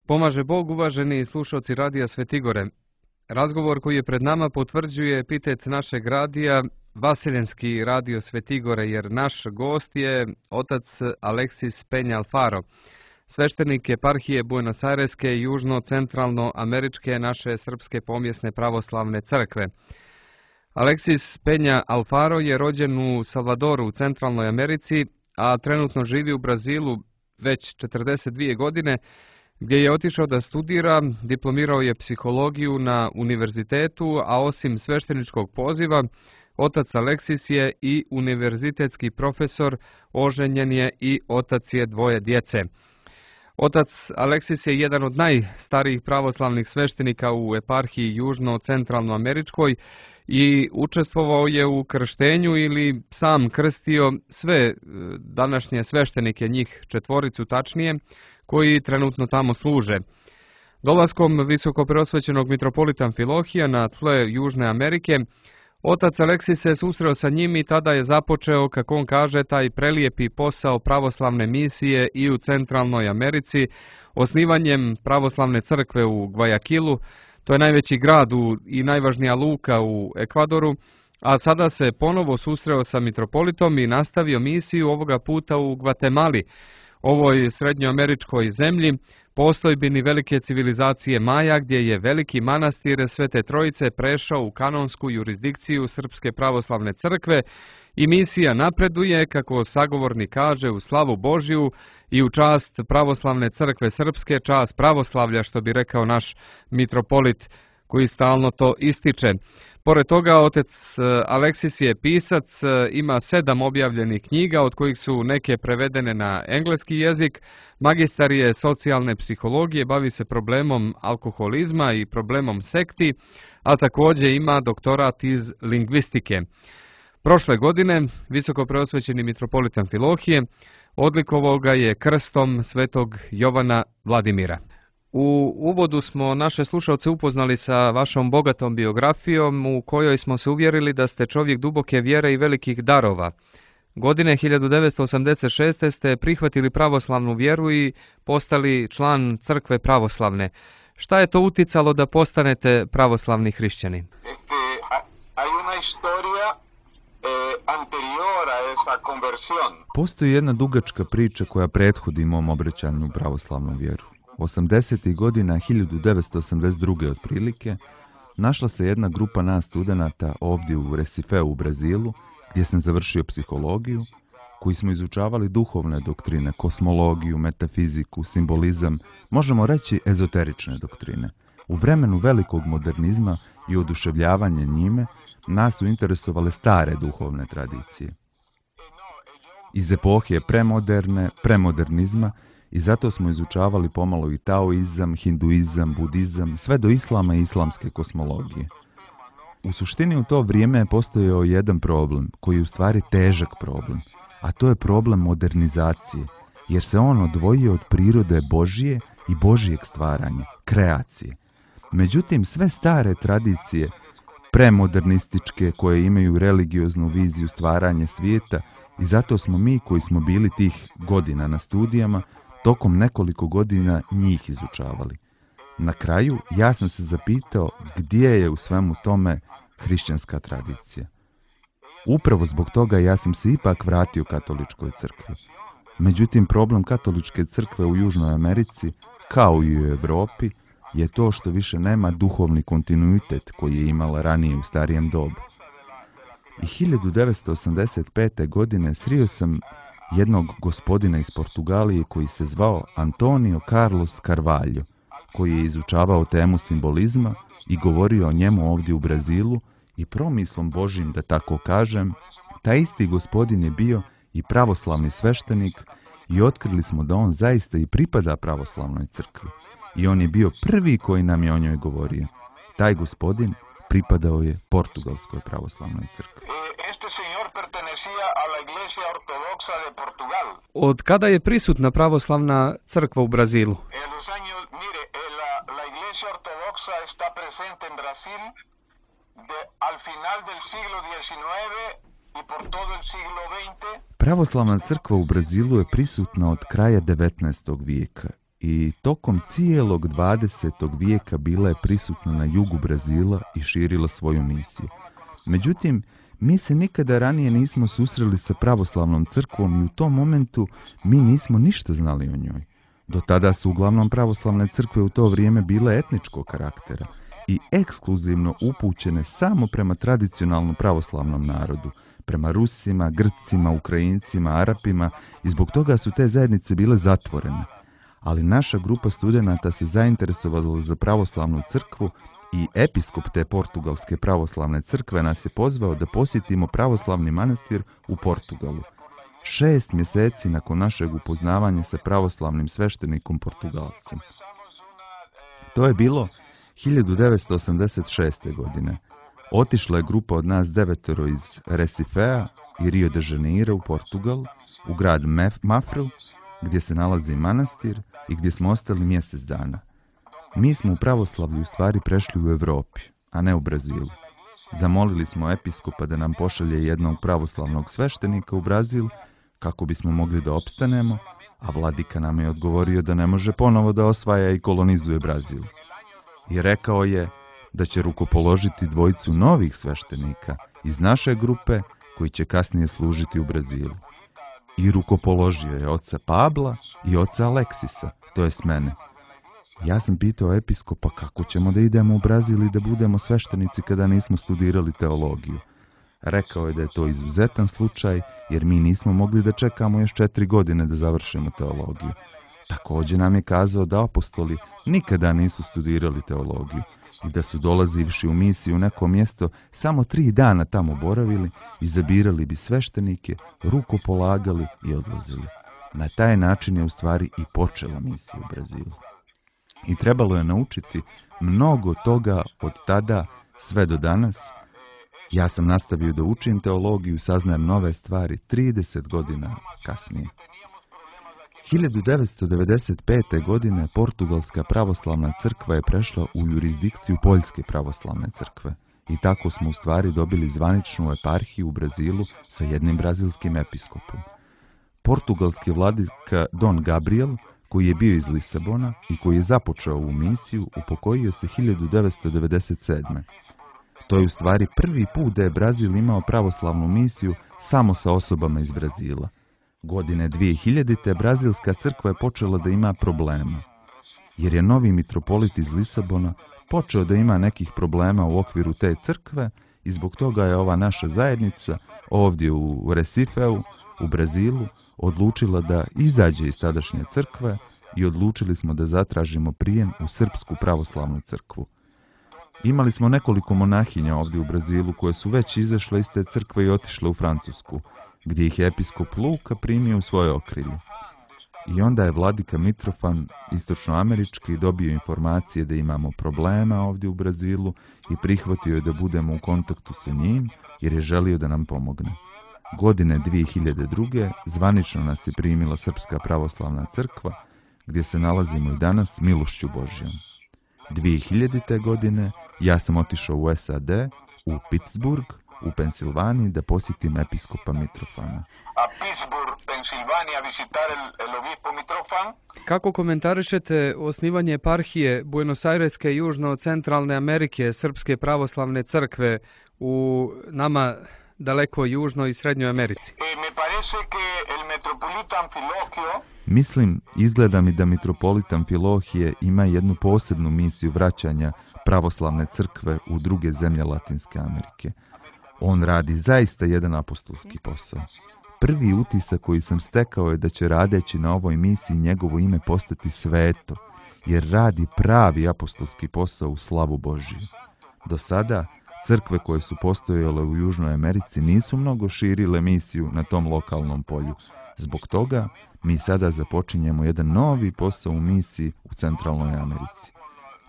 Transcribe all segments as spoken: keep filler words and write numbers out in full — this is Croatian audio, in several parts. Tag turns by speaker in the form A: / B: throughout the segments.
A: Pomaže Bog, uvaženi slušalci Radija Svetigore. Razgovor koji je pred nama potvrđuje epitec našeg radija, Vaseljenski radio Svetigore, jer naš gost je otac Aleksis Penja Alfaro, sveštenik eparhije Buenos Aireske i južno-centralno-američke naše srpske pomjesne pravoslavne crkve. Aleksis Penja Alfaro je rođen u Salvadoru u Centralnoj Americi, a trenutno živi u Brazilu već četrdeset dvije godine, gdje je otišao da studira, diplomirao je psihologiju na univerzitetu, a osim svešteničkog poziva, otac Aleksis je i univerzitetski profesor, oženjen je i otac je dvoje djece. Otac Aleksis je jedan od najstarijih pravoslavnih sveštenika u eparhiji južno-centralnoameričkoj i učestvovao je u krštenju ili sam krstio sve današnje sveštenike, njih četvoricu tačnije, koji trenutno tamo služe. Dolaskom visokopreosvećenog mitropolita Amfilohija na tle Južne Amerike, otac Aleksis se susreo sa njim i tada je započeo, kako on kaže, taj prelijepi posao pravoslavne misije i u Centralnoj Americi, osnivanjem pravoslavne crkve u Guayaquilu, to je najveći grad u, i najvažnija luka u Ekvadoru, a sada se ponovo susreo sa mitropolitom i nastavio misiju ovoga puta u Gvatemali, ovoj srednjoameričkoj zemlji, postojbini velike civilizacije Maja, gdje je veliki manastir Svete Trojice prešao u kanonsku jurisdikciju Srpske pravoslavne crkve i misija napreduje, kako sagovornik kaže, u slavu Božju i u čast pravoslavne crkve srpske, čast pravoslavlja, što bi rekao naš mitropolit koji stalno to ističe. Pored toga, otac Aleksis je pisac, ima sedam objavljenih knjiga, od kojih su neke prevedene na engleski jezik, magistar je socijalne psihologije, bavi se problemom alkoholizma i problemom sekti, a također ima doktorat iz lingvistike. Prošle godine, visokopreosvećeni mitropolit Amfilohije odlikovao ga je krstom svetog Jovana Vladimira. U uvodu smo naše slušalce upoznali sa vašom bogatom biografijom u kojoj smo se uvjerili da ste čovjek duboke vjere i velikih darova. Godine hiljadu devetsto osamdeset šeste. ste prihvatili pravoslavnu vjeru i postali član crkve pravoslavne. Šta je to uticalo da postanete pravoslavni hrišćanin?
B: Postoji jedna dugačka priča koja prethodi mom obraćanju u pravoslavnu vjeru. osamdesetih godina hiljadu devetsto osamdeset druge otprilike našla se jedna grupa nas studenata ovdje u Recifeu u Brazilu, gdje sam završio psihologiju, koji smo izučavali duhovne doktrine, kosmologiju, metafiziku, simbolizam, možemo reći ezoterične doktrine. U vremenu velikog modernizma i oduševljavanja njime nas su interesovale stare duhovne tradicije. Iz epohije premoderne, premodernizma, i zato smo izučavali pomalo i taoizam, hinduizam, budizam, sve do islama i islamske kosmologije. U suštini u to vrijeme je postojao jedan problem, koji je u stvari težak problem, a to je problem modernizacije, jer se on odvojio od prirode Božije i Božijeg stvaranja, kreacije. Međutim, sve stare tradicije, premodernističke, koje imaju religioznu viziju stvaranja svijeta, i zato smo mi, koji smo bili tih godina na studijama, tokom nekoliko godina njih izučavali. Na kraju ja sam se zapitao gdje je u svemu tome hrišćanska tradicija. Upravo zbog toga ja sam se ipak vratio katoličkoj crkvi. Međutim, problem katoličke crkve u Južnoj Americi, kao i u Europi, je to što više nema duhovni kontinuitet koji je imala ranije u starijem dobu. I hiljadu devetsto osamdeset pete. godine srio sam jednog gospodina iz Portugalije koji se zvao Antonio Carlos Carvalho, koji je izučavao temu simbolizma i govorio o njemu ovdje u Brazilu i promislom Božjim, da tako kažem, taj isti gospodin je bio i pravoslavni sveštenik i otkrili smo da on zaista i pripada pravoslavnoj crkvi. I on je bio prvi koji nam je o njoj govorio. Taj gospodin pripadao je portugalskoj pravoslavnoj crkvi.
A: Od kada je prisutna pravoslavna crkva u Brazilu?
B: Pravoslavna crkva u Brazilu je prisutna od kraja devetnaestog vijeka i tokom cijelog dvadesetog vijeka bila je prisutna na jugu Brazila i širila svoju misiju. Međutim, mi se nikada ranije nismo susreli sa pravoslavnom crkvom i u tom momentu mi nismo ništa znali o njoj. Do tada su uglavnom pravoslavne crkve u to vrijeme bile etničkog karaktera i ekskluzivno upućene samo prema tradicionalno pravoslavnom narodu, prema Rusima, Grcima, Ukrajincima, Arapima i zbog toga su te zajednice bile zatvorene. Ali naša grupa studenata se zainteresovala za pravoslavnu crkvu i episkop te portugalske pravoslavne crkve nas je pozvao da posjetimo pravoslavni manastir u Portugalu. Šest mjeseci nakon našeg upoznavanja sa pravoslavnim sveštenikom Portugalcem. To je bilo hiljadu devetsto osamdeset šeste. godine. Otišla je grupa od nas devetero iz Recifea i Rio de Janeiro u Portugal, u grad Mafru, gdje se nalazi manastir i gdje smo ostali mjesec dana. Mi smo u pravoslavlju u stvari prešli u Europi, a ne u Brazilu. Zamolili smo episkopa da nam pošalje jednog pravoslavnog sveštenika u Brazil kako bismo mogli da opstanemo, a vladika nam je odgovorio da ne može ponovo da osvaja i kolonizuje Brazil. I rekao je da će rukopoložiti dvojicu novih sveštenika iz naše grupe koji će kasnije služiti u Brazilu. I rukopoložio je oca Pabla i oca Aleksisa, to jest mene. Ja sam pitao episkopa kako ćemo da idemo u Brazil i da budemo sveštenici kada nismo studirali teologiju. Rekao je da je to izuzetan slučaj jer mi nismo mogli da čekamo još četiri godine da završimo teologiju. Također nam je kazao da apostoli nikada nisu studirali teologiju i da su dolazivši u misiju u neko mjesto samo tri dana tamo boravili, izabirali bi sveštenike, rukopolagali i odlazili. Na taj način je u stvari i počela misija u Brazilu. I trebalo je naučiti mnogo toga od tada sve do danas. Ja sam nastavio da učim teologiju i saznajem nove stvari trideset godina kasnije. hiljadu devetsto devedeset pete. godine Portugalska pravoslavna crkva je prešla u jurisdikciju Poljske pravoslavne crkve i tako smo u stvari dobili zvaničnu eparhiju u Brazilu sa jednim brazilskim episkopom. Portugalski vladika Dom Gabriel, koji je bio iz Lisabona i koji je započeo ovu misiju, upokojio se hiljadu devetsto devedeset sedme. To je u stvari prvi put da je Brazil imao pravoslavnu misiju samo sa osobama iz Brazila. Godine dvije hiljadite. Brazilska crkva je počela da ima problema, jer je novi mitropolit iz Lisabona počeo da ima nekih problema u okviru te crkve i zbog toga je ova naša zajednica ovdje u Recifeu, u Brazilu, odlučila da izađe iz tadašnje crkve i odlučili smo da zatražimo prijem u Srpsku pravoslavnu crkvu. Imali smo nekoliko monahinja ovdje u Brazilu koje su već izašle iz te crkve i otišle u Francusku, gdje ih je episkop Luka primio u svoje okrilje. I onda je vladika Mitrofan istočnoamerički dobio informacije da imamo problema ovdje u Brazilu i prihvatio je da budemo u kontaktu sa njim jer je želio da nam pomogne. Godine dvije hiljade druge. zvanično nas je primila Srpska pravoslavna crkva, gdje se nalazimo i danas milošću Božjom. dvije hiljadite. godine ja sam otišao u S A D, u Pittsburgh, u Pensilvaniji, da posjetim episkopa Mitrofana.
C: A Pittsburgh, Pensilvanija, visitar el, el obispo Mitrofan.
A: Kako komentarišete osnivanje eparhije Buenos Aireske i Južno-Centralne Amerike Srpske pravoslavne crkve u nama daleko Južnoj i Srednjoj Americi?
C: Eh, me parece que el metropolita Amfilohio...
B: Mislim, izgleda mi da mitropolit Amfilohije ima jednu posebnu misiju vraćanja pravoslavne crkve u druge zemlje Latinske Amerike. On radi zaista jedan apostolski posao. Prvi utisak koji sam stekao je da će radeći na ovoj misiji njegovo ime postati sveto, jer radi pravi apostolski posao u slavu Božiju. Do sada, crkve koje su postojale u Južnoj Americi nisu mnogo širile misiju na tom lokalnom polju. Zbog toga, mi sada započinjemo jedan novi posao u misiji u Centralnoj Americi.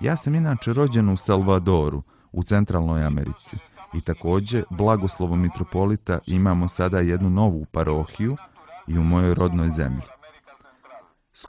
B: Ja sam inače rođen u Salvadoru, u Centralnoj Americi. I također, blagoslovom mitropolita imamo sada jednu novu parohiju i u mojoj rodnoj zemlji.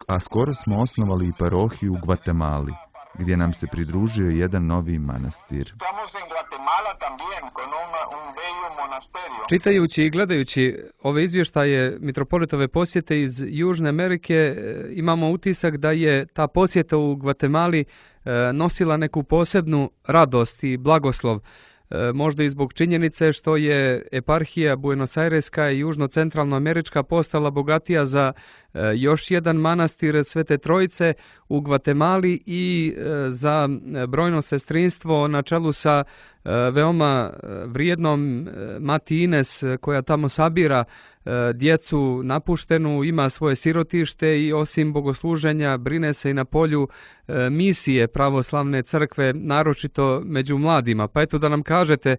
B: A skoro smo osnovali i parohiju u Gvatemali, gdje nam se pridružio jedan novi manastir.
C: Estamos en Guatemala. Guatemala también, con un, un bello monasterio.
A: Čitajući i gledajući ove izvještaje mitropolitove posjete iz Južne Amerike, e, imamo utisak da je ta posjeta u Gvatemali e, nosila neku posebnu radost i blagoslov. E, možda i zbog činjenice što je eparhija Buenos Aireska i južno-centralnoamerička postala bogatija za e, još jedan manastir Svete Trojice u Gvatemali i e, za brojno sestrinstvo na čelu sa e, veoma vrijednom e, Mati Ines koja tamo sabira e, djecu napuštenu, ima svoje sirotište i osim bogosluženja brine se i na polju e, misije pravoslavne crkve, naročito među mladima. Pa eto da nam kažete e,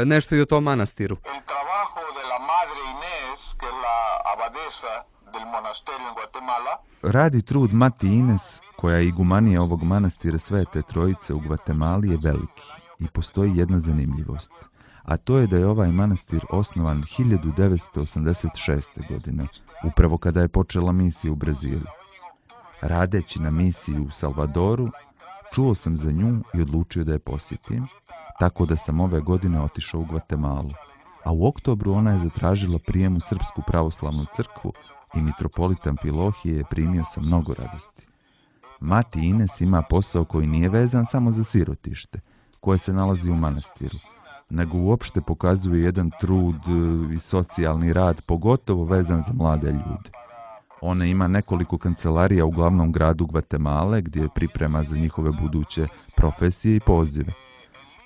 A: nešto i o tom manastiru.
C: El trabajo de la Madre Inés, que es la abadesa del monasterio en Guatemala,
B: Radi trud Mati Ines, koja je igumanija ovog manastira Svete Trojice u Gvatemali, je veliki i postoji jedna zanimljivost, a to je da je ovaj manastir osnovan hiljadu devetsto osamdeset šeste. godine, upravo kada je počela misija u Brazilu. Radeći na misiji u Salvadoru, čuo sam za nju i odlučio da je posjetim, tako da sam ove godine otišao u Gvatemalu, a u oktobru ona je zatražila prijem u Srpsku pravoslavnu crkvu i mitropolitan Amfilohije je primio sa mnogo radosti. Mati Ines ima posao koji nije vezan samo za sirotište, koje se nalazi u manastiru, nego uopšte pokazuje jedan trud i socijalni rad, pogotovo vezan za mlade ljude. Ona ima nekoliko kancelarija u glavnom gradu Gvatemale, gdje je priprema za njihove buduće profesije i pozive.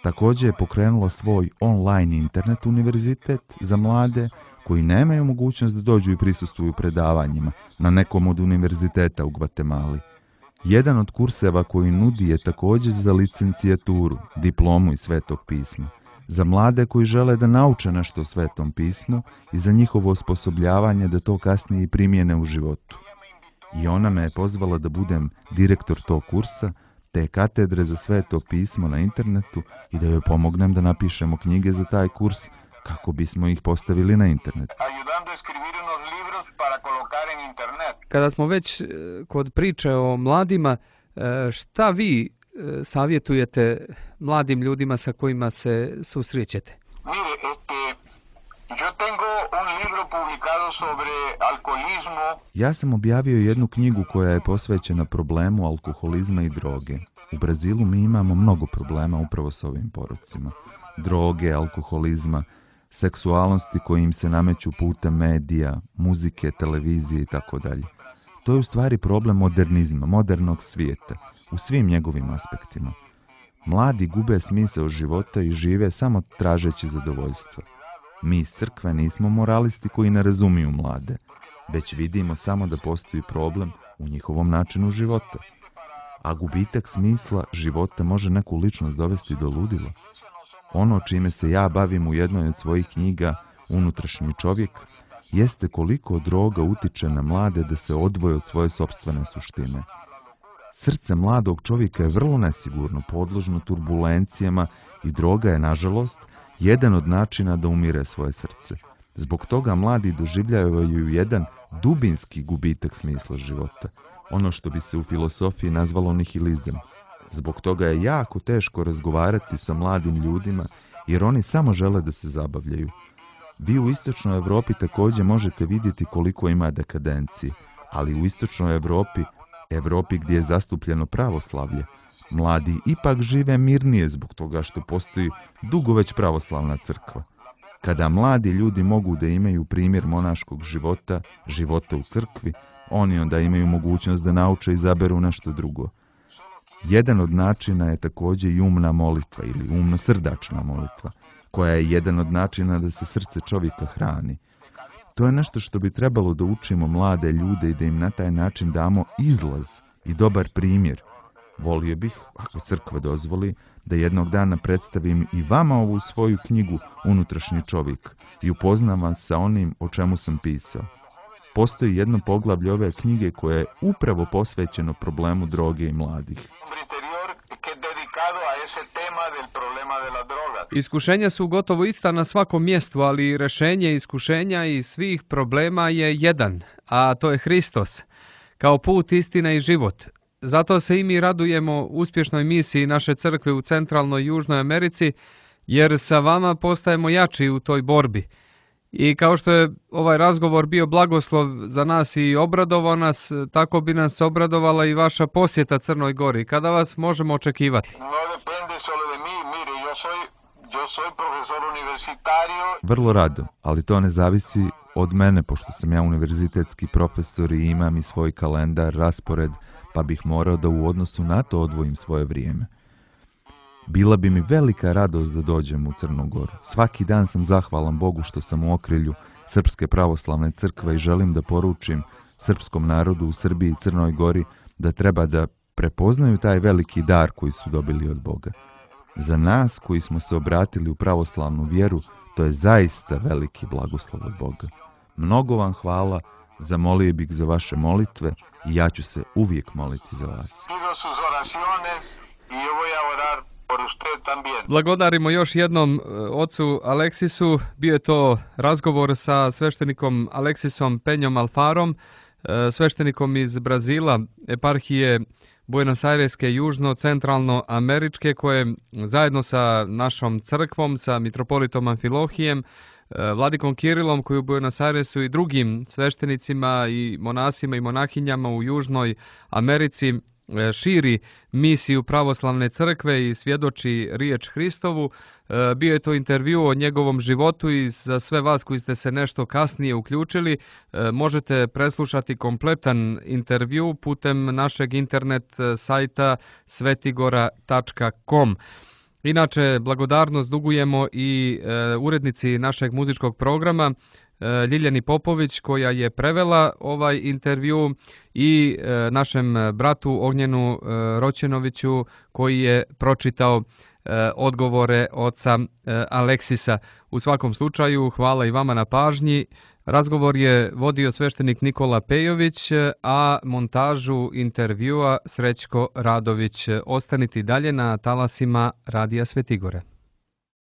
B: Također je pokrenula svoj online internet univerzitet za mlade koji nemaju mogućnost da dođu i prisustvuju predavanjima na nekom od univerziteta u Gvatemali. Jedan od kurseva koji nudi je također za licencijaturu, diplomu iz Svetog pisma, za mlade koji žele da nauče nešto o Svetom pismu i za njihovo osposobljavanje da to kasnije i primjene u životu. I ona me je pozvala da budem direktor tog kursa, te katedre za Sveto pismo na internetu i da joj pomognem da napišemo knjige za taj kurs kako bismo ih postavili na internet.
C: ayudando a escribir unos libros para colocar en internet.
A: Kada smo već e, kod priče o mladima, e, šta vi e, savjetujete mladim ljudima sa kojima se susrećete?
C: Mire, este, yo tengo un libro publicado sobre alcoholismo.
B: Ja sam objavio jednu knjigu koja je posvećena problemu alkoholizma i droge. U Brazilu mi imamo mnogo problema upravo s ovim porocima. Droge, alkoholizma, seksualnosti koji im se nameću putem medija, muzike, televizije i tako dalje. To je u stvari problem modernizma, modernog svijeta, u svim njegovim aspektima. Mladi gube smisao života i žive samo tražeći zadovoljstvo. Mi iz crkve nismo moralisti koji ne razumiju mlade, već vidimo samo da postoji problem u njihovom načinu života. A gubitak smisla života može neku ličnost dovesti do ludila. Ono čime se ja bavim u jednoj od svojih knjiga, Unutrašnji čovjek, jeste koliko droga utiče na mlade da se odvoje od svoje sopstvene suštine. Srce mladog čovjeka je vrlo nesigurno, podložno turbulencijama i droga je, nažalost, jedan od načina da umire svoje srce. Zbog toga mladi doživljavaju jedan dubinski gubitak smisla života, ono što bi se u filosofiji nazvalo nihilizam. Zbog toga je jako teško razgovarati sa mladim ljudima, jer oni samo žele da se zabavljaju. Vi u Istočnoj Europi također možete vidjeti koliko ima dekadencije, ali u Istočnoj Europi, Europi gdje je zastupljeno pravoslavlje, mladi ipak žive mirnije zbog toga što postoji dugo već pravoslavna crkva. Kada mladi ljudi mogu da imaju primjer monaškog života, života u crkvi, oni onda imaju mogućnost da nauče i izaberu nešto drugo. Jedan od načina je također i umna molitva ili umno-srdačna molitva, koja je jedan od načina da se srce čovjeka hrani. To je nešto što bi trebalo da učimo mlade ljude i da im na taj način damo izlaz i dobar primjer. Volio bih, ako crkva dozvoli, da jednog dana predstavim i vama ovu svoju knjigu Unutrašnji čovjek i upoznam vas sa onim o čemu sam pisao. Postoji jedno poglavlje ove knjige koje je upravo posvećeno problemu droge i mladih.
A: Iskušenja su gotovo ista na svakom mjestu, ali rješenje iskušenja i svih problema je jedan, a to je Hristos, kao put, istina i život. Zato se i mi radujemo uspješnoj misiji naše crkve u centralnoj i južnoj Americi, jer sa vama postajemo jači u toj borbi. I kao što je ovaj razgovor bio blagoslov za nas i obradovao nas, tako bi nas obradovala i vaša posjeta Crnoj Gori. Kada vas možemo očekivati?
C: No depende solo de mí, mire, yo soy, yo soy profesor universitario.
B: Vrlo rado, ali to ne zavisi od mene, pošto sam ja univerzitetski profesor i imam i svoj kalendar, raspored, pa bih morao da u odnosu na to odvojim svoje vrijeme. Bila bi mi velika radost da dođem u Crnu Goru. Svaki dan sam zahvalan Bogu što sam u okrilju Srpske pravoslavne crkve i želim da poručim srpskom narodu u Srbiji i Crnoj Gori da treba da prepoznaju taj veliki dar koji su dobili od Boga. Za nas koji smo se obratili u pravoslavnu vjeru, to je zaista veliki blagoslov od Boga. Mnogo vam hvala, zamolio bih za vaše molitve i ja ću se uvijek moliti za vas.
C: Pido sus oraciones y yo voy a orar por usted también.
A: Blagodarimo još jednom ocu Aleksisu. Bio je to razgovor sa sveštenikom Aleksisom Penjom Alfarom, sveštenikom iz Brazila, eparhije Buenos Aireske južno-centralno-američke, koje zajedno sa našom crkvom, sa mitropolitom Amfilohijem, vladikom Kirilom koji u Buenos Airesu i drugim sveštenicima i monasima i monahinjama u Južnoj Americi širi misiju pravoslavne crkve i svjedoči riječ Hristovu. Bio je to intervju o njegovom životu i za sve vas koji ste se nešto kasnije uključili možete preslušati kompletan intervju putem našeg internet sajta svetigora tačka com. Inače, blagodarnost dugujemo i e, urednici našeg muzičkog programa e, Ljiljani Popović, koja je prevela ovaj intervju, i e, našem bratu Ognjenu e, Roćenoviću, koji je pročitao e, odgovore oca e, Aleksisa. U svakom slučaju, hvala i vama na pažnji. Razgovor je vodio sveštenik Nikola Pejović, a montažu intervjua Srećko Radović. Ostanite dalje na talasima Radija Svetigore.